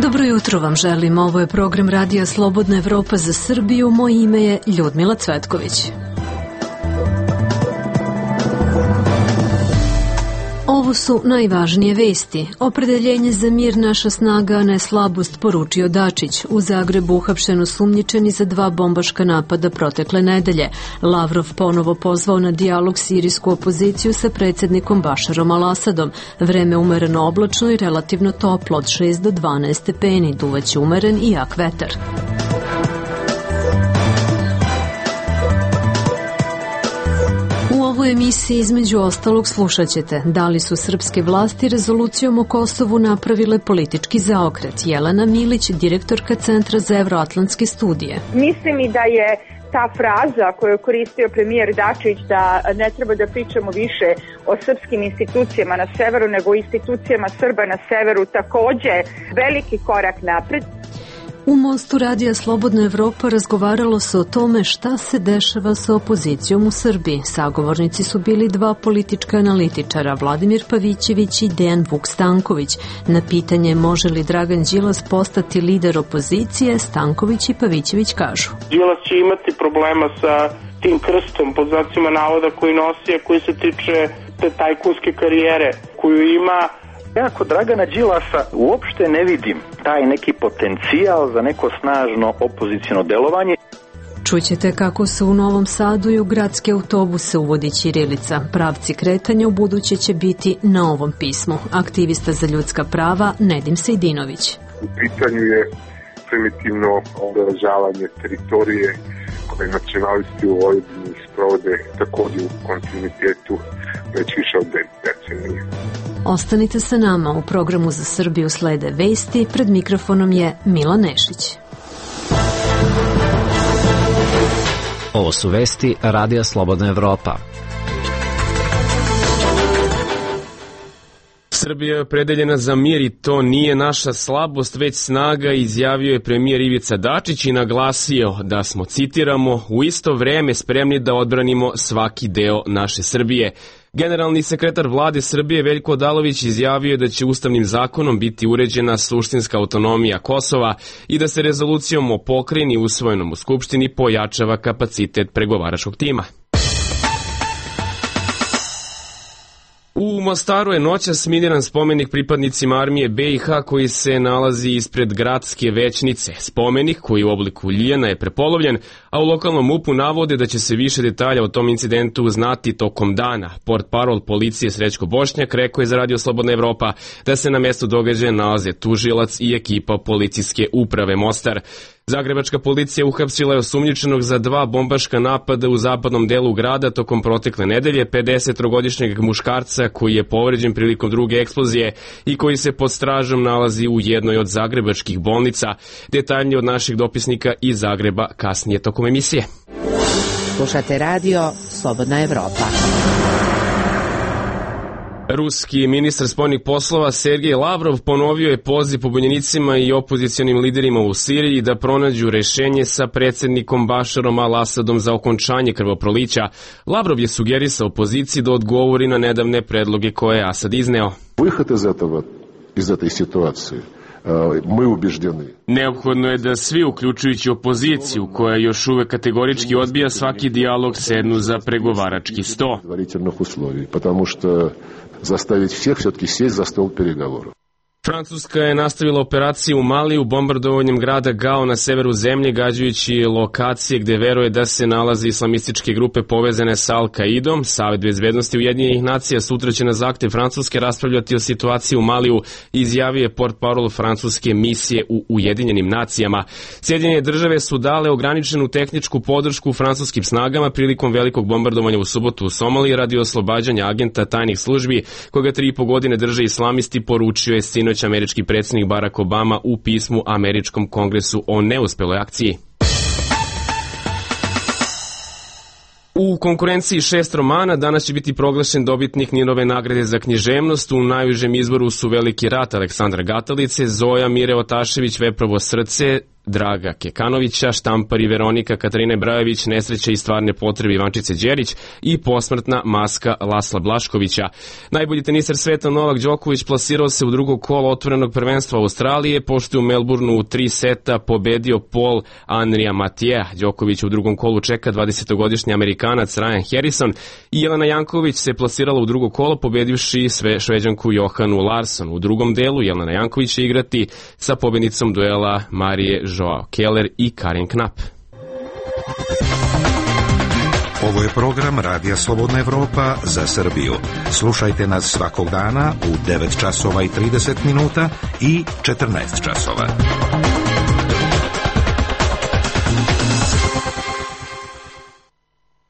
Dobro jutro vam želim, ovo je program Radija Slobodna Evropa za Srbiju, moje ime je Ljudmila Cvetković. Ovo su najvažnije vesti. Opredeljenje za mir naša snaga, a ne slabost, poručio Dačić. U Zagrebu uhapšen osumnjičeni za 2 bombaška napada protekle nedelje. Lavrov ponovo pozvao na dijalog sirijsku opoziciju sa predsjednikom Bašarom al-Asadom. Vreme umereno oblačno i relativno toplo, od 6 do 12 stepeni, duvaće umeren i jak vetar. U emisiji između ostalog slušat ćete da li su srpske vlasti rezolucijom o Kosovu napravile politički zaokret. Jelena Milić, direktorka Centra za evroatlantske studije. Mislim i da je ta fraza koju je koristio premijer Dačić da ne treba da pričamo više o srpskim institucijama na severu nego o institucijama Srba na severu takođe veliki korak napred. U Mostu Radija Slobodna Evropa razgovaralo se o tome šta se dešava sa opozicijom u Srbiji. Sagovornici su bili 2 politička analitičara, Vladimir Pavićević i Dejan Vuk Stanković. Na pitanje može li Dragan Đilas postati lider opozicije, Stanković i Pavićević kažu: Đilas će imati problema sa tim krstom, pod znacima navoda, koji nosi, a koji se tiče te tajkunske karijere koju ima. Ja kod Dragana Đilasa uopšte ne vidim taj neki potencijal za neko snažno opoziciono delovanje. Čućete kako se u Novom Sadu i u gradske autobuse uvodi ćirilica. Pravci kretanja u buduće će biti na ovom pismu. Aktivista za ljudska prava Nedim Sejdinović. U pitanju je primitivno obeležavanje teritorije koje nacionalisti u Vojvodini sprovode također u kontinuitetu već više od 10 decenija. Ostanite sa nama, u programu za Srbiju slede vesti, pred mikrofonom je Mila Nešić. Ovo su vesti Radija Slobodna Evropa. Srbija je opredeljena za mir i to nije naša slabost, već snaga, izjavio je premijer Ivica Dačić i naglasio da smo, citiramo, u isto vreme spremni da odbranimo svaki deo naše Srbije. Generalni sekretar vlade Srbije Veljko Odalović izjavio je da će ustavnim zakonom biti uređena suštinska autonomija Kosova i da se rezolucijom o pokrajini usvojenom u Skupštini pojačava kapacitet pregovaračkog tima. U Mostaru je noćas miniran spomenik pripadnicima armije BiH koji se nalazi ispred gradske većnice. Spomenik, koji u obliku ljijana, je prepolovljen, a u lokalnom MUP-u navode da će se više detalja o tom incidentu znati tokom dana. Portparol policije Srećko Bošnjak rekao je za Radio Slobodna Evropa da se na mjestu događaja nalaze tužilac i ekipa policijske uprave Mostar. Zagrebačka policija uhapsila je osumnjičenog za 2 bombaška napada u zapadnom delu grada tokom protekle nedelje, 53-godišnjeg muškarca koji je povređen prilikom druge eksplozije i koji se pod stražom nalazi u jednoj od zagrebačkih bolnica. Detaljnije od naših dopisnika iz Zagreba kasnije tokom emisije. Slušate Radio Slobodna Evropa. Ruski ministar spoljnih poslova Sergej Lavrov ponovio je poziv pobunjenicima i opozicionim liderima u Siriji da pronađu rešenje sa predsjednikom Bašarom al-Asadom za okončanje krvoprolića. Lavrov je sugerisao opoziciji da odgovori na nedavne predloge koje je Asad izneo. Iz ove situacije Neophodno je da svi, uključujući opoziciju, koja još uvek kategorički odbija svaki dijalog, sednu za pregovarački sto. Zastaviti svih все-таки sjeći za stol переговоров. Francuska je nastavila operaciju u Maliju bombardovanjem grada Gao na severu zemlje, gađajući lokacije gde veruje da se nalaze islamističke grupe povezane sa Al-Kaidom. Savet bezbednosti Ujedinjenih nacija sutra će na zahtev Francuske raspravljati o situaciji u Maliju, izjavio je portparol francuske misije u Ujedinjenim nacijama. Sjedinjene države su dale ograničenu tehničku podršku francuskim snagama prilikom velikog bombardovanja u subotu u Somaliji radi oslobađanja agenta tajnih službi, koga 3,5 godine drže islamisti, poručio je sinoć američki predsjednik Barack Obama u pismu američkom kongresu o neuspeloj akciji. U konkurenciji 6 romana danas će biti proglašen dobitnik Ninove nagrade za književnost. U najužem izboru su Veliki rat Aleksandra Gatalice, Zoja Mire Otašević, Veprovo srce, Draga Kekanovića, štampari Veronika Katarine Brajević, Nesreće i stvarne potrebe Ivančice Đerić i posmrtna maska Lasla Blaškovića. Najbolji teniser sveta Novak Đoković plasirao se u drugo kolo otvorenog prvenstva Australije, pošto je u Melbourneu u 3 seta pobedio Paul Andrija Matija. Đoković u drugom kolu čeka 20-godišnji Amerikanac Ryan Harrison i Jelena Janković se plasirala u drugo kolo pobedivši Šveđanku Johanu Larsson. U drugom delu Jelena Janković će igrati sa pobednicom duela Marije Joao Keller i Karin Knapp. Ovo je program Radija Slobodna Evropa za Srbiju. Slušajte nas svakog dana u 9 časova i 30 minuta i 14 časova.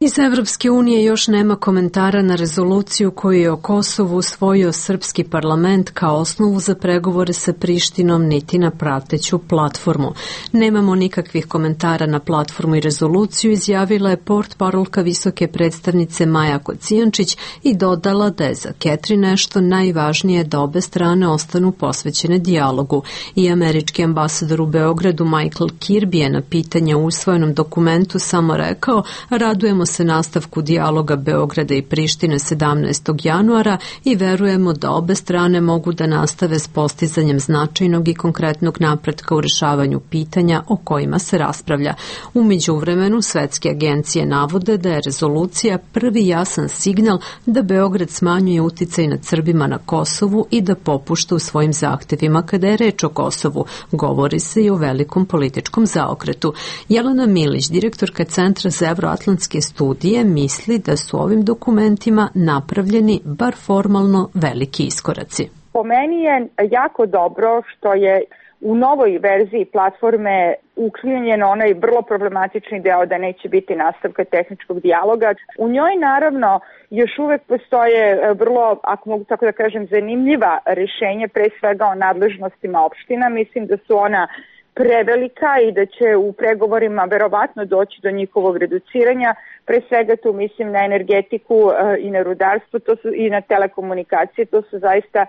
Iz Evropske unije još nema komentara na rezoluciju koju je o Kosovu usvojio srpski parlament kao osnovu za pregovore sa Prištinom, niti na prateću platformu. Nemamo nikakvih komentara na platformu i rezoluciju, izjavila je portparolka visoke predstavnice Maja Kocijančić i dodala da je za Catherine Ashton najvažnije da obe strane ostanu posvećene dijalogu. I američki ambasador u Beogradu Michael Kirby je na pitanje u usvojenom dokumentu samo rekao: radujemo se nastavku dijaloga Beograda i Prištine 17. januara i verujemo da obe strane mogu da nastave s postizanjem značajnog i konkretnog napretka u rešavanju pitanja o kojima se raspravlja. U međuvremenu svetske agencije navode da je rezolucija prvi jasan signal da Beograd smanjuje uticaj nad Srbima na Kosovu i da popušta u svojim zahtevima kada je reč o Kosovu. Govori se i o velikom političkom zaokretu. Jelena Milić, direktorka Centra za evroatlantske studije, misli da su ovim dokumentima napravljeni bar formalno veliki iskoraci. Po meni je jako dobro što je u novoj verziji platforme uklonjen onaj vrlo problematični deo da neće biti nastavka tehničkog dijaloga. U njoj naravno još uvek postoje vrlo, ako mogu tako da kažem, zanimljiva rešenja, pre svega o nadležnostima opština. Mislim da su ona prevelika i da će u pregovorima verovatno doći do njihovog reduciranja. Pre svega tu mislim na energetiku i na rudarstvo, to su i na telekomunikacije, to su zaista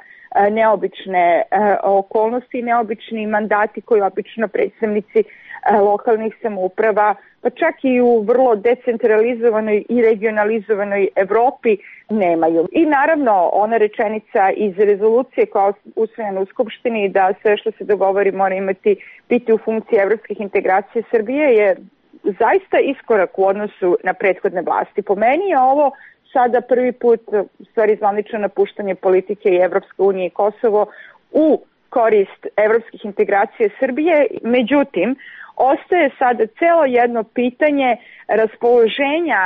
neobične okolnosti i neobični mandati koji obično predstavnici lokalnih samouprava, pa čak i u vrlo decentralizovanoj i regionalizovanoj Evropi nemaju. I naravno ona rečenica iz rezolucije koja je usvojena u Skupštini da sve što se dogovori mora biti u funkciji evropskih integracija Srbije je zaista iskorak u odnosu na prethodne vlasti. Po meni je ovo sada prvi put stvari zvanično napuštanje politike i Evropske unije i Kosovo u korist evropskih integracija Srbije. Međutim, ostaje sada celo jedno pitanje raspoloženja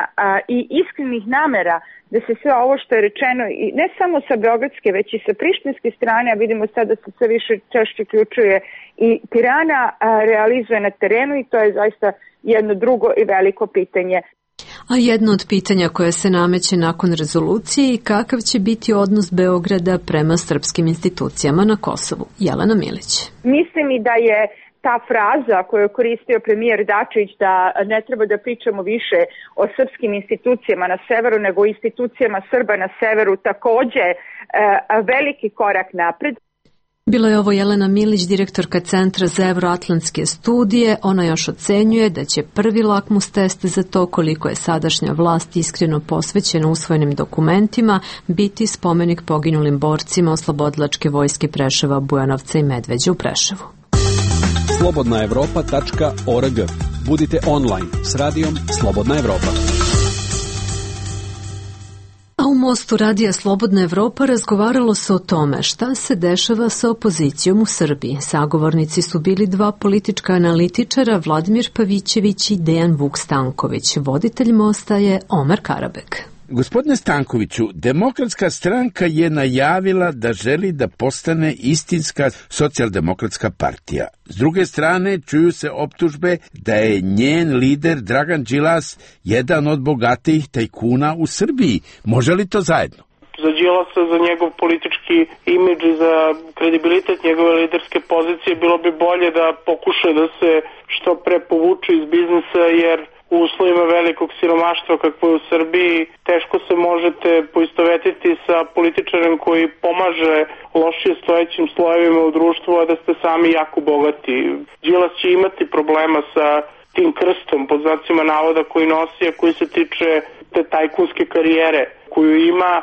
i iskrenih namera da se sve ovo što je rečeno, i ne samo sa beogradske, već i sa prištinske strane, a vidimo sada da se sve više češće uključuje i Tirana, realizuje na terenu i to je zaista jedno drugo i veliko pitanje. A jedno od pitanja koje se nameće nakon rezolucije i kakav će biti odnos Beograda prema srpskim institucijama na Kosovu. Jelena Milić. Mislim i da je ta fraza koju je koristio premijer Dačić da ne treba da pričamo više o srpskim institucijama na severu nego o institucijama Srba na severu takođe veliki korak napred. Bila je ovo Jelena Milić, direktorka Centra za evroatlantske studije. Ona još ocenjuje da će prvi lakmus test za to koliko je sadašnja vlast iskreno posvećena usvojenim dokumentima biti spomenik poginulim borcima Oslobodilačke vojske Preševa, Bujanovca i Medveđe u Preševu. slobodnaevropa.org. Budite online s radijom Slobodna Evropa. A u Mostu Radija Slobodna Evropa razgovaralo se o tome šta se dešava sa opozicijom u Srbiji. Sagovornici su bili dva politička analitičara, Vladimir Pavićević i Dejan Vuk Stanković. Voditelj Mosta je Omer Karabek. Gospodine Stankoviću, Demokratska stranka je najavila da želi da postane istinska socijaldemokratska partija. S druge strane, čuju se optužbe da je njen lider Dragan Đilas jedan od bogatijih tajkuna u Srbiji. Može li to zajedno? Za Đilasa, za njegov politički imidž i za kredibilitet njegove liderske pozicije bilo bi bolje da pokuša da se što pre povuče iz biznisa, jer u uslovima velikog siromaštva kakvo je u Srbiji, teško se možete poistovetiti sa političarem koji pomaže lošije stojećim slojevima u društvu, a da ste sami jako bogati. Đilas će imati problema sa tim krstom, pod znacima navoda, koji nosi, a koji se tiče te tajkunske karijere koju ima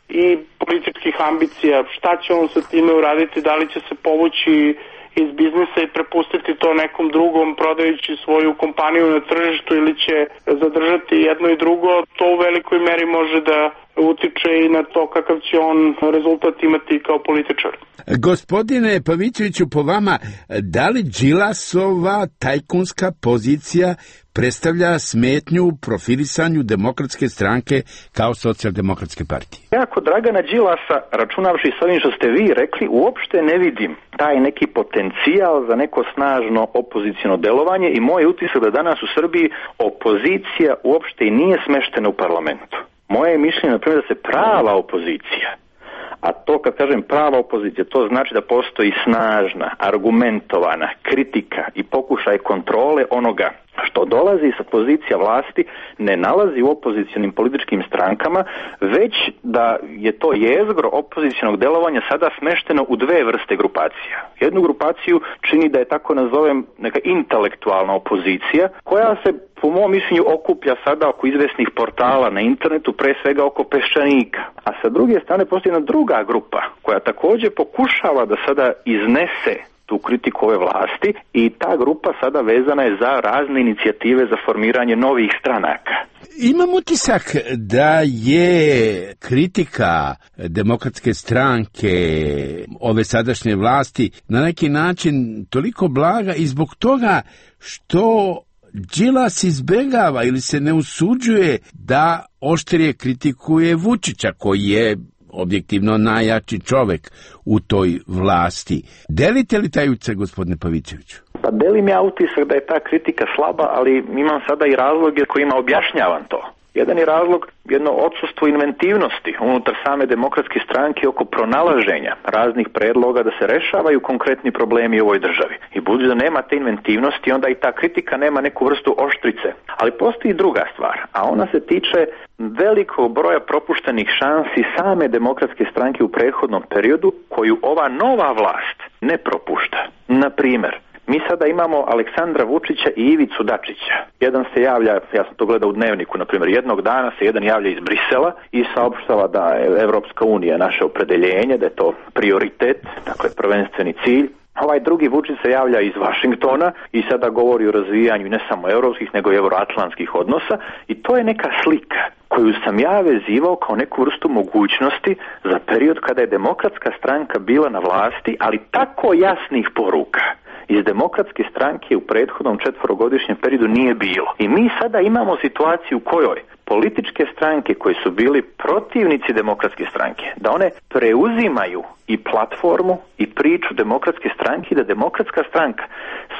i političkih ambicija. Šta će on sa time uraditi, da li će se povući iz biznisa i prepustiti to nekom drugom prodajući svoju kompaniju na tržištu ili će zadržati jedno i drugo, to u velikoj meri može da utiče i na to kakav će on rezultat imati kao političar. Gospodine Pavićeviću, po vama, da li Đilasova tajkunska pozicija predstavlja smetnju profilisanju Demokratske stranke kao socijaldemokratske partije? Ja kod Dragana Đilasa, računavši s ovim što ste vi rekli, uopšte ne vidim taj neki potencijal za neko snažno opoziciono delovanje i moj utisak da danas u Srbiji opozicija uopšte i nije smeštena u parlamentu. Moje je mišljenje, na primjer, da se prava opozicija, a to kad kažem prava opozicija, to znači da postoji snažna, argumentovana kritika i pokušaj kontrole onoga što dolazi sa pozicija vlasti, ne nalazi u opozicionim političkim strankama, već da je to jezgro opozicionog delovanja sada smešteno u dve vrste grupacija. Jednu grupaciju čini, da je tako nazovem, neka intelektualna opozicija, koja se po mom mišljenju okuplja sada oko izvesnih portala na internetu, pre svega oko Peščanika. A sa druge strane postoji jedna druga grupa koja također pokušava da sada iznese tu kritiku ove vlasti i ta grupa sada vezana je za razne inicijative za formiranje novih stranaka. Imam utisak da je kritika Demokratske stranke ove sadašnje vlasti na neki način toliko blaga i zbog toga što Đilas izbegava ili se ne usuđuje da oštrije kritikuje Vučića, koji je objektivno najjači čovek u toj vlasti. Delite li taj utisak, gospodine Pavićeviću? Pa delim ja utisak da je ta kritika slaba, ali imam sada i razloge kojima objašnjavam to. Jedan je razlog jedno odsustvo inventivnosti unutar same Demokratske stranke oko pronalaženja raznih predloga da se rešavaju konkretni problemi u ovoj državi. I budući da nema te inventivnosti, onda i ta kritika nema neku vrstu oštrice. Ali postoji druga stvar, a ona se tiče velikog broja propuštenih šansi same Demokratske stranke u prethodnom periodu, koju ova nova vlast ne propušta. Na primjer, mi sada imamo Aleksandra Vučića i Ivicu Dačića. Jedan se javlja, ja sam to gledao u Dnevniku, na primjer, jednog dana se jedan javlja iz Brisela i saopštava da je Evropska unija naše opredeljenje, da je to prioritet, dakle prvenstveni cilj. Ovaj drugi Vučić se javlja iz Vašingtona i sada govori o razvijanju ne samo europskih, nego i euroatlantskih odnosa i to je neka slika koju sam ja vezivao kao neku vrstu mogućnosti za period kada je Demokratska stranka bila na vlasti, ali tako jasnih poruka iz Demokratske stranke u prethodnom 4-godišnjem periodu nije bilo. I mi sada imamo situaciju u kojoj političke stranke koji su bili protivnici Demokratske stranke, da one preuzimaju i platformu i priču Demokratske stranke i da Demokratska stranka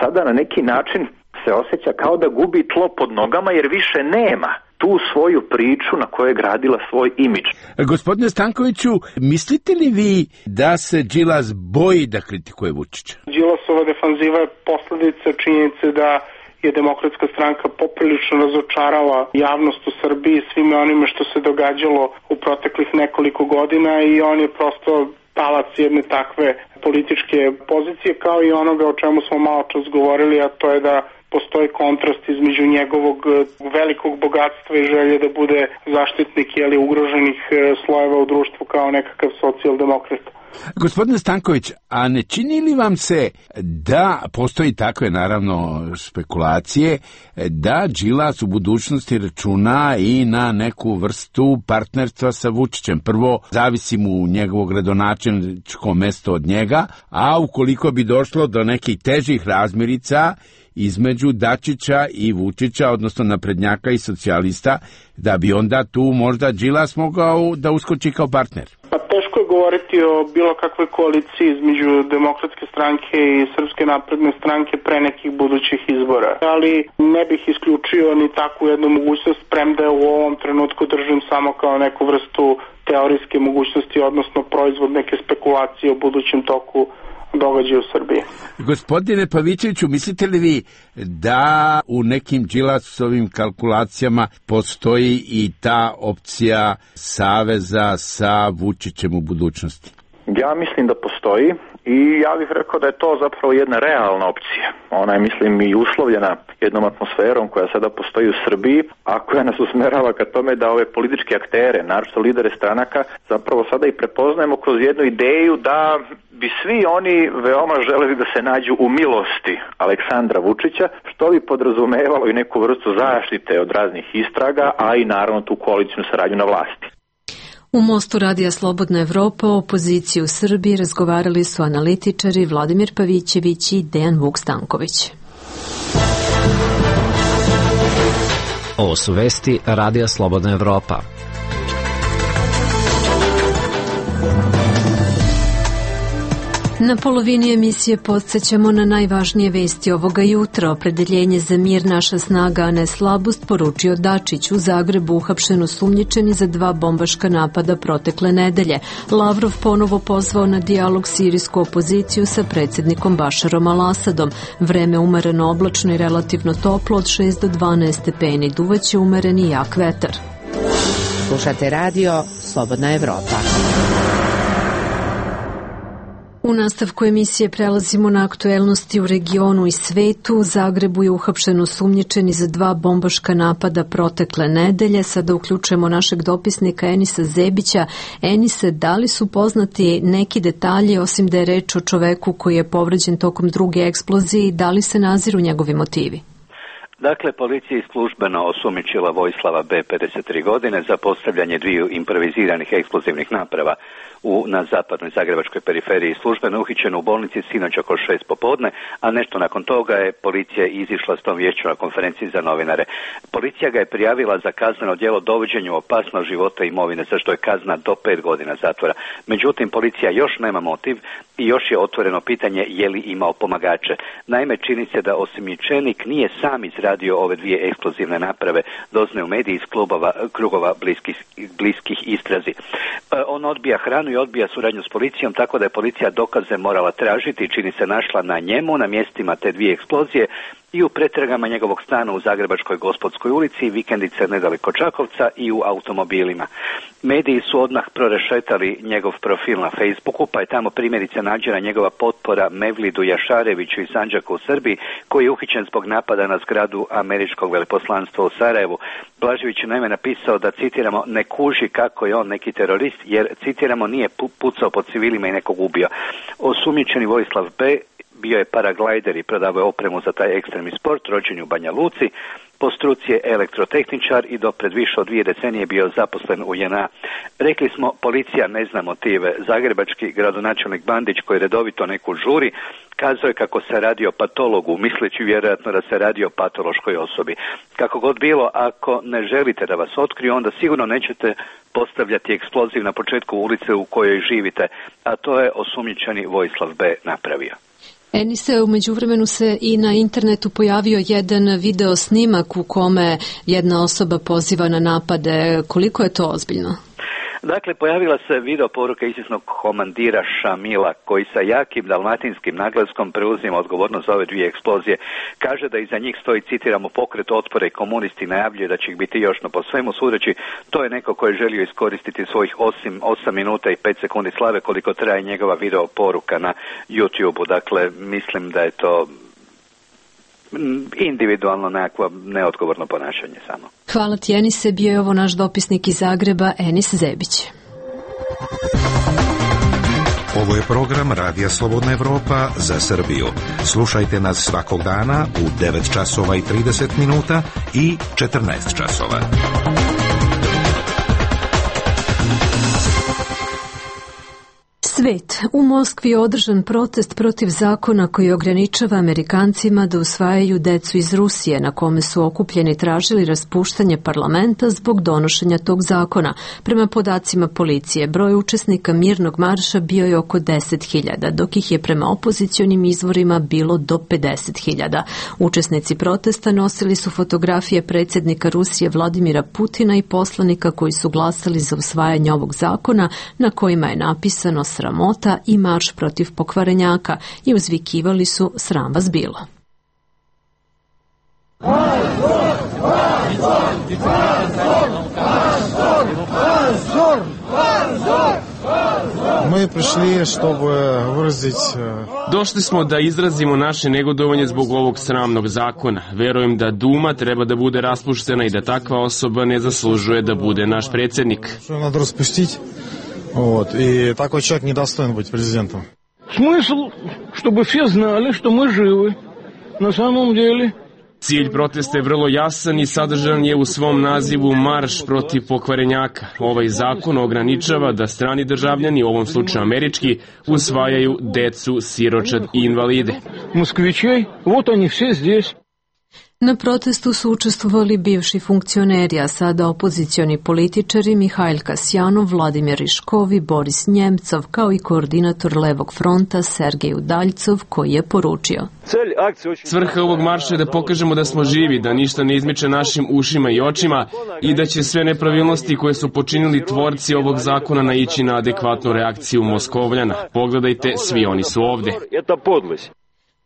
sada na neki način se osjeća kao da gubi tlo pod nogama jer više nema tu svoju priču na kojoj je gradila svoj imidž. Gospodine Stankoviću, mislite li vi da se Đilas boji da kritikuje Vučića? Đilasova defanziva je posledica činjenice da je Demokratska stranka poprilično razočarala javnost u Srbiji svime onime što se događalo u proteklih nekoliko godina i on je prosto talac jedne takve političke pozicije, kao i onoga o čemu smo malo čas govorili, a to je da postoji kontrast između njegovog velikog bogatstva i želje da bude zaštitnik ugroženih slojeva u društvu kao nekakav socijaldemokrata. Gospodine Stanković, a ne čini li vam se da postoji takve, naravno, spekulacije, da Đilas u budućnosti računa i na neku vrstu partnerstva sa Vučićem? Prvo, zavisi mu njegovo gradonačelničko mesto od njega, a ukoliko bi došlo do nekih težih razmirica između Dačića i Vučića, odnosno naprednjaka i socijalista, da bi onda tu možda Đilas mogao da uskoči kao partner? Pa teško je govoriti o bilo kakvoj koaliciji između Demokratske stranke i Srpske napredne stranke pre nekih budućih izbora. Ali ne bih isključio ni takvu jednu mogućnost, premda je u ovom trenutku držim samo kao neku vrstu teorijske mogućnosti, odnosno proizvod neke spekulacije o budućem toku događaje u Srbiji. Gospodine Pavićeviću, mislite li vi da u nekim Đilasovim kalkulacijama postoji i ta opcija saveza sa Vučićem u budućnosti? Ja mislim da postoji i ja bih rekao da je to zapravo jedna realna opcija. Ona je, mislim, i uslovljena jednom atmosferom koja sada postoji u Srbiji, a koja nas usmerava ka tome da ove političke aktere, naročito lidere stranaka, zapravo sada i prepoznajemo kroz jednu ideju da bi svi oni veoma želeli da se nađu u milosti Aleksandra Vučića, što bi podrazumevalo i neku vrstu zaštite od raznih istraga, a i naravno tu koalicijnu saradnju na vlasti. U Mostu Radija Slobodna Evropa o opoziciji u Srbiji razgovarali su analitičari Vladimir Pavićević i Dejan Vuk-Stanković. Ovo su vesti Radija Slobodna Evropa. Na polovini emisije podsjećamo na najvažnije vesti ovoga jutra. Opredeljenje za mir naša snaga, a ne slabost, poručio Dačić. U Zagrebu uhapšen osumnjičeni za 2 bombaška napada protekle nedelje. Lavrov ponovo pozvao na dijalog sirijsku opoziciju sa predsjednikom Bašarom al-Asadom. Vreme umereno oblačno i relativno toplo od 6 do 12 stepeni. Duvaće umeren i jak vetar. Slušate radio Slobodna Evropa. U nastavku emisije prelazimo na aktuelnosti u regionu i svetu. U Zagrebu je uhapšen osumnjičeni za 2 bombaška napada protekle nedelje. Sada uključujemo našeg dopisnika Enisa Zebića. Enise, da li su poznati neki detalji, osim da je reč o čoveku koji je povređen tokom druge eksplozije, i da li se naziru njegovi motivi? Dakle, policija je službeno osumnjičila Vojislava B. 53 godine za postavljanje 2 improviziranih eksplozivnih naprava na zapadnoj zagrebačkoj periferiji. Službeno uhićen u bolnici sinoć oko 6 popodne, a nešto nakon toga je policija izišla s tom viješću na konferenciji za novinare. Policija ga je prijavila za kazneno djelo dovođenju opasnog života i imovine, za što je kazna do 5 godina zatvora. Međutim, policija još nema motiv i još je otvoreno pitanje je li imao pomagače. Naime, čini se da osumnjičenik nije sam izradio ove 2 eksplozivne naprave, doznaju mediji iz krugova bliskih istrazi. On odbija hranu i odbija suradnju s policijom, tako da je policija dokaze morala tražiti i čini se našla na njemu, na mjestima te 2 eksplozije i u pretragama njegovog stana u Zagrebačkoj Gospodskoj ulici, vikendice nedaleko Čakovca i u automobilima. Mediji su odmah prorešetali njegov profil na Facebooku, pa je tamo primjerice nađena njegova potpora Mevlidu Jašareviću iz Sandžaka u Srbiji, koji je uhićen zbog napada na zgradu američkog veleposlanstva u Sarajevu. Blažević je naime napisao da, citiramo, ne kuži kako je on neki terorist, jer, citiramo, nije pucao po civilima i nekog ubio. Osumnjičeni Vojislav B. bio je paraglajder i prodavao je opremu za taj ekstremni sport, rođen u Banja Luci. Po struci je elektrotehničar i do pred više od 2 decenije bio zaposlen u JNA. Rekli smo, policija ne zna motive. Zagrebački gradonačelnik Bandić, koji redovito neku žuri, kazao je kako se radi o patologu, misleći vjerojatno da se radi o patološkoj osobi. Kako god bilo, ako ne želite da vas otkriju, onda sigurno nećete postavljati eksploziv na početku ulice u kojoj živite, a to je osumnjičeni Vojislav B. napravio. Enise, u međuvremenu se i na internetu pojavio jedan video snimak u kome jedna osoba poziva na napade. Koliko je to ozbiljno? Dakle, pojavila se video poruka isisnog komandira Šamila, koji sa jakim dalmatinskim naglaskom preuzima odgovornost za ove 2 eksplozije. Kaže da iza njih stoji, citiramo, pokret otpora i komunisti, najavljuje da će ih biti još, no po svemu sudeći to je neko koji je želio iskoristiti svojih 8 minuta i 5 sekundi slave koliko traje njegova video poruka na YouTube-u. Dakle, mislim da je to individualno nekakvo neodgovorno ponašanje samo. Hvala ti, Enise. Bio je ovo naš dopisnik iz Zagreba, Enis Zebić. Ovo je program Radija Slobodna Evropa za Srbiju. Slušajte nas svakog dana u 9 časova i 30 minuta i 14 časova. Svet. U Moskvi je održan protest protiv zakona koji ograničava Amerikancima da usvajaju decu iz Rusije, na kome su okupljeni tražili raspuštanje parlamenta zbog donošenja tog zakona. Prema podacima policije, broj učesnika mirnog marša bio je oko 10.000, dok ih je prema opozicionim izvorima bilo do 50.000. Učesnici protesta nosili su fotografije predsjednika Rusije Vladimira Putina i poslanika koji su glasali za usvajanje ovog zakona, na kojima je napisano "Sramota sramota i marš protiv pokvarenjaka i uzvikivali su sram vas bilo. Došli smo da izrazimo naše negodovanje zbog ovog sramnog zakona. Verujem da Duma treba da bude raspuštena i da takva osoba ne zaslužuje da bude naš predsjednik. И такой человек недостоин быть президентом. Смысл, чтобы все знали, что мы живы. На самом деле... Cilj protesta je vrlo jasan i sadržan je u svom nazivu marš protiv pokvarenjaka. Ovaj zakon ograničava da strani državljani, u ovom slučaju američki, usvajaju decu, siročad i invalide. Moskvićej, вот они все здесь. Na protestu su učestvovali bivši funkcioneri, a sada opozicioni političari Mihajl Kasjanov, Vladimir Riškov i Boris Njemcov, kao i koordinator Levog fronta Sergej Udaljcov, koji je poručio: Svrha ovog marša je da pokažemo da smo živi, da ništa ne izmiče našim ušima i očima i da će sve nepravilnosti koje su počinili tvorci ovog zakona naići na adekvatnu reakciju Moskovljana. Pogledajte, svi oni su ovde.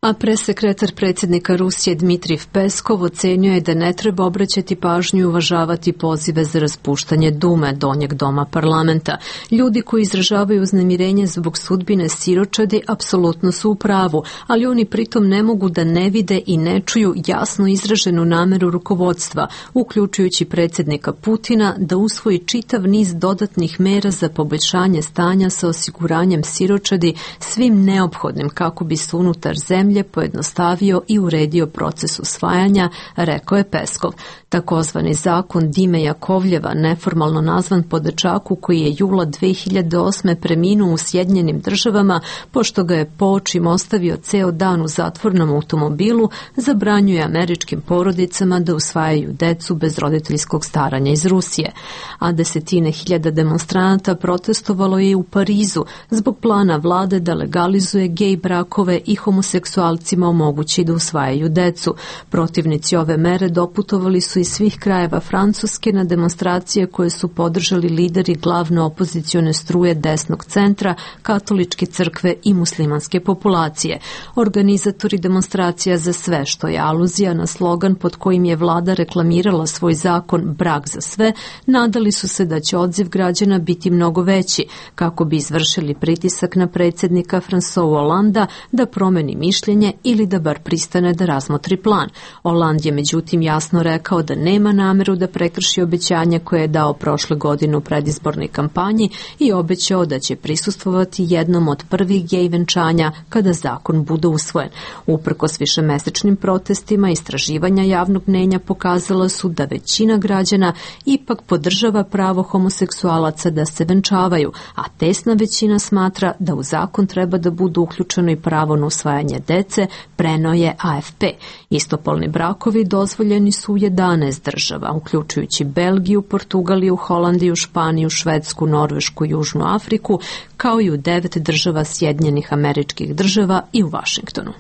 A presekretar predsjednika Rusije Dmitrij Peskov ocenio je da ne treba obraćati pažnju i uvažavati pozive za raspuštanje Dume, donjeg doma parlamenta. Ljudi koji izražavaju uznemirenje zbog sudbine siročadi apsolutno su u pravu, ali oni pritom ne mogu da ne vide i ne čuju jasno izraženu nameru rukovodstva, uključujući predsjednika Putina, da usvoji čitav niz dodatnih mera za poboljšanje stanja sa osiguranjem siročadi svim neophodnim kako bi se unutar zemlje pojednostavio i uredio proces usvajanja, rekao je Peskov. Takozvani zakon Dime Jakovljeva, neformalno nazvan po dečaku koji je jula 2008. preminuo u Sjedinjenim Državama, pošto ga je po očima ostavio ceo dan u zatvornom automobilu, zabranjuje američkim porodicama da usvajaju decu bez roditeljskog staranja iz Rusije. A desetine hiljada demonstranata protestovalo je i u Parizu zbog plana vlade da legalizuje gej brakove i homoseksualcima omogući da usvajaju decu. Protivnici ove mere doputovali su iz svih krajeva Francuske na demonstracije koje su podržali lideri glavne opozicione struje desnog centra, katoličke crkve i muslimanske populacije. Organizatori demonstracija za sve, što je aluzija na slogan pod kojim je vlada reklamirala svoj zakon Brak za sve, nadali su se da će odziv građana biti mnogo veći, kako bi izvršili pritisak na predsjednika François Hollanda da promeni mišljenje ili da bar pristane da razmotri plan. Hollande je međutim jasno rekao da nema nameru da prekrši obećanje koje je dao prošle godine u predizbornoj kampanji i obećao da će prisustvovati jednom od prvih gej venčanja kada zakon bude usvojen. Uprkos višemesečnim protestima, istraživanja javnog mnenja pokazala su da većina građana ipak podržava pravo homoseksualaca da se venčavaju, a tesna većina smatra da u zakon treba da budu uključeno i pravo na usvajanje dece, preneo je AFP. Istopolni brakovi dozvoljeni su u 11 država, uključujući Belgiju, Portugaliju, Holandiju, Španiju, Švedsku, Norvešku, Južnu Afriku, kao i u 9 država Sjedinjenih Američkih Država i u Vašingtonu.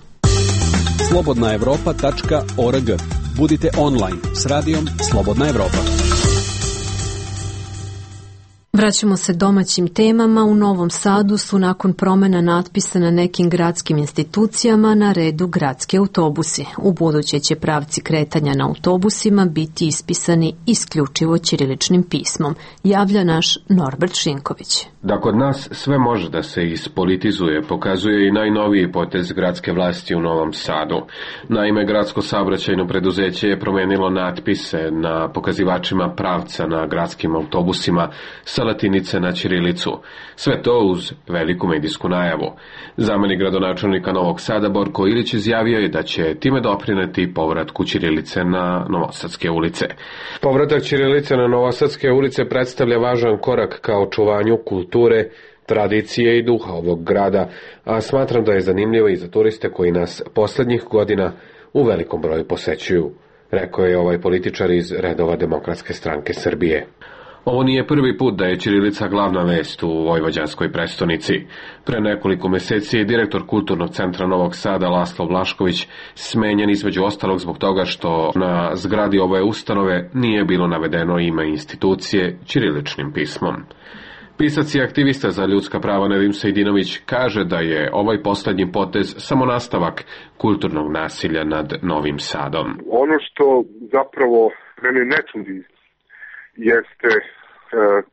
Slobodnaevropa.org. Budite online s radijom Slobodna Evropa. Vraćamo se domaćim temama. U Novom Sadu su nakon promjena natpisa na nekim gradskim institucijama na redu gradski autobusi. U buduće će pravci kretanja na autobusima biti ispisani isključivo ćiriličnim pismom, javlja naš Norbert Šinković. Da kod nas sve može da se ispolitizuje, pokazuje i najnoviji potez gradske vlasti u Novom Sadu. Naime, gradsko saobraćajno preduzeće je promenilo natpise na pokazivačima pravca na gradskim autobusima sa latinice na ćirilicu. Sve to uz veliku medijsku najavu. Zamenik gradonačelnika Novog Sada Borko Ilić izjavio je da će time doprineti povratku ćirilice na Novosadske ulice. Povratak ćirilice na Novosadske ulice predstavlja važan korak ka očuvanju kulture, tradicije i duha ovog grada, a smatram da je zanimljivo i za turiste koji nas poslednjih godina u velikom broju posećuju, rekao je ovaj političar iz redova Demokratske stranke Srbije. Ovo nije prvi put da je ćirilica glavna vest u vojvođanskoj prestonici. Pre nekoliko meseci je direktor Kulturnog centra Novog Sada Laslo Vlašković smenjen između ostalog zbog toga što na zgradi ove ustanove nije bilo navedeno ime institucije ćiriličnim pismom. Pisac i aktivista za ljudska prava Nedim Sejdinović kaže da je ovaj poslednji potez samo nastavak kulturnog nasilja nad Novim Sadom. Ono što zapravo mene ne čudi jeste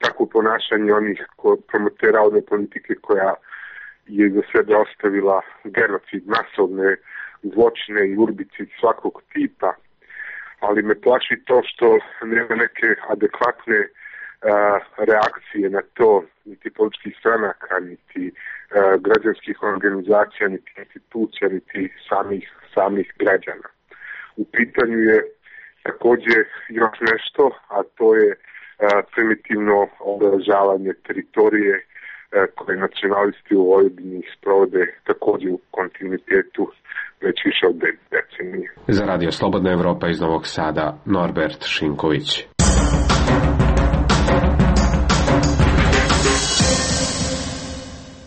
tako ponašanje onih promotera ove politike koja je za sebe ostavila genocid, masovne zločine i urbicid svakog tipa, ali me plaši to što nema neke adekvatne reakcije na to, niti političkih stranaka, niti građanskih organizacija, niti institucija, niti samih građana. U pitanju je takođe još nešto, a to je primitivno obeležavanje teritorije koje nacionalisti u Vojvodini sprovode takođe u kontinuitetu već više od decenije. Za Radio Slobodna Evropa iz Novog Sada, Norbert Šinković.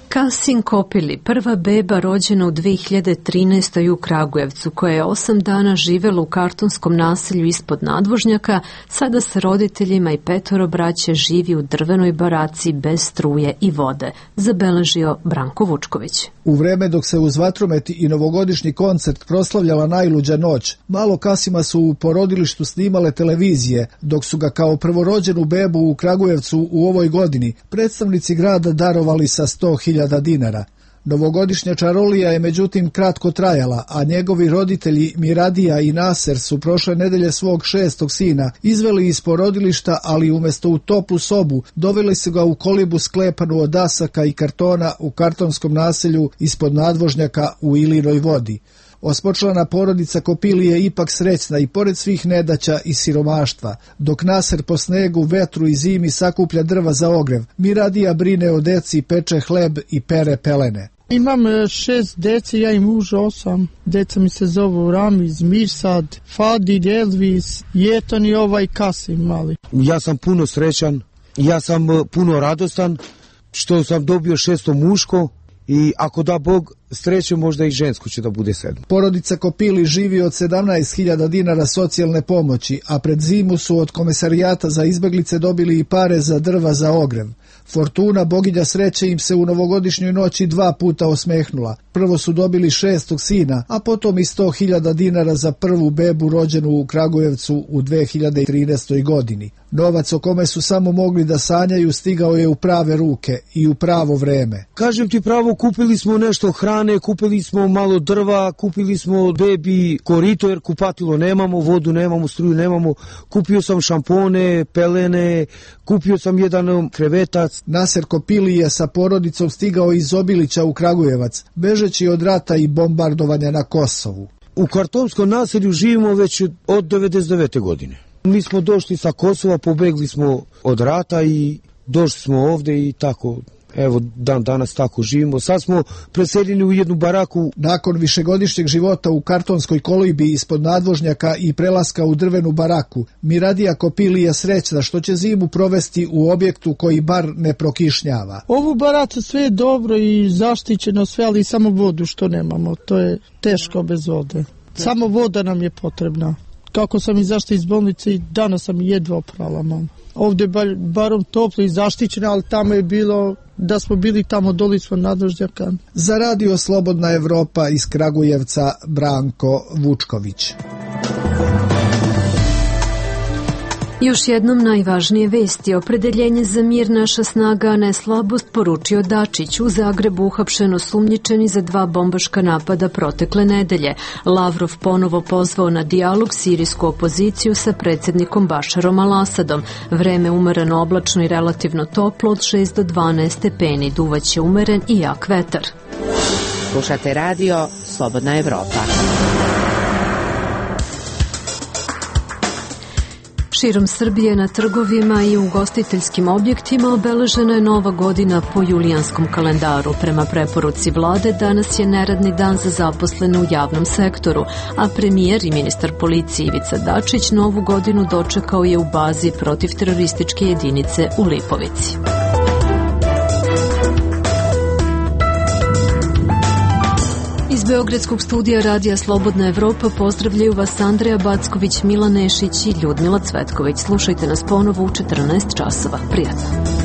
Kasin Kopili, prva beba rođena u 2013. u Kragujevcu, koja je 8 dana živela u kartonskom naselju ispod nadvožnjaka, sada sa roditeljima i 5 braće živi u drvenoj baraci bez struje i vode, zabeležio Branko Vučković. U vreme dok se uz vatromet i novogodišnji koncert proslavljala najluđa noć, malo Kasima su u porodilištu snimale televizije, dok su ga kao prvorođenu bebu u Kragujevcu u ovoj godini predstavnici grada darovali sa 100.000 dinara. Novogodišnja čarolija je međutim kratko trajala, a njegovi roditelji Miradija i Naser su prošle nedelje svog 6. sina izveli iz porodilišta, ali umjesto u toplu sobu doveli su ga u kolibu sklepanu od dasaka i kartona u kartonskom naselju ispod nadvožnjaka u Ilinoj vodi. Osmočlana porodica Kopili je ipak srećna i pored svih nedaća i siromaštva. Dok Naser po snegu, vetru i zimi sakuplja drva za ogrev, Miradija brine o deci, peče hleb i pere pelene. Imam 6 deci, ja i muž 8. Deca mi se zovu Ramiz, Mirsad, Fadid, Elvis, Jeton i ovaj Kasim mali. Ja sam puno srećan, ja sam puno radostan što sam dobio 6. muško i ako da Bog sreće, možda i žensko će da bude 7. Porodica Kopili živi od 17.000 dinara socijalne pomoći, a pred zimu su od Komesarijata za izbeglice dobili i pare za drva za ogrev. Fortuna, boginja sreće, im se u novogodišnjoj noći 2 puta osmehnula. Prvo su dobili 6. sina, a potom i 100.000 dinara za prvu bebu rođenu u Kragujevcu u 2013. godini. Novac o kome su samo mogli da sanjaju stigao je u prave ruke i u pravo vreme. Kažem ti pravo, kupili smo nešto hrane, kupili smo malo drva, kupili smo bebi korito jer kupatilo nemamo, vodu nemamo, struju nemamo, kupio sam šampone, pelene, kupio sam jedan krevetac. Naser Kopili je sa porodicom stigao iz Obilića u Kragujevac, bežeći od rata i bombardovanja na Kosovu. U kartonskom naselju živimo već od 99. godine. Mi smo došli sa Kosova, pobegli smo od rata i došli smo ovde i tako, evo danas tako živimo. Sad smo preseljeni u jednu baraku. Nakon višegodišnjeg života u kartonskoj kolibi ispod nadvožnjaka i prelaska u drvenu baraku, Miradija Kopili je srećna što će zimu provesti u objektu koji bar ne prokišnjava. Ovu baracu sve je dobro i zaštićeno sve, ali samo vodu što nemamo, to je teško bez vode. Samo voda nam je potrebna. Kako sam izašla iz bolnice i danas sam jedva oprala, mam. Ovdje je barom toplo i zaštićeno, ali tamo je bilo, da smo bili tamo doli smo nadvožnjaka. Za Radio Slobodna Evropa iz Kragujevca, Branko Vučković. Još jednom najvažnije vesti. Opredeljenje za mir naša snaga, a ne slabost, poručio Dačić. U Zagrebu uhapšen osumnjičeni za 2 bombaška napada protekle nedelje. Lavrov ponovo pozvao na dijalog sirijsku opoziciju sa predsjednikom Bašarom al-Asadom. Vreme umereno oblačno i relativno toplo od 6 do 12 stepeni. Duvaće umeren i jak vetar. Slušate radio Slobodna Evropa. Širom Srbije na trgovima i ugostiteljskim objektima obeležena je Nova godina po julijanskom kalendaru. Prema preporuci vlade, danas je neradni dan za zaposlene u javnom sektoru, a premijer i ministar policije Ivica Dačić Novu godinu dočekao je u bazi protivterorističke jedinice u Lipovici. Iz Beogradskog studija Radija Slobodna Evropa pozdravljaju vas Andreja Backović, Milan Nešić i Ljudmila Cvetković. Slušajte nas ponovo u 14 časova. Prijatno.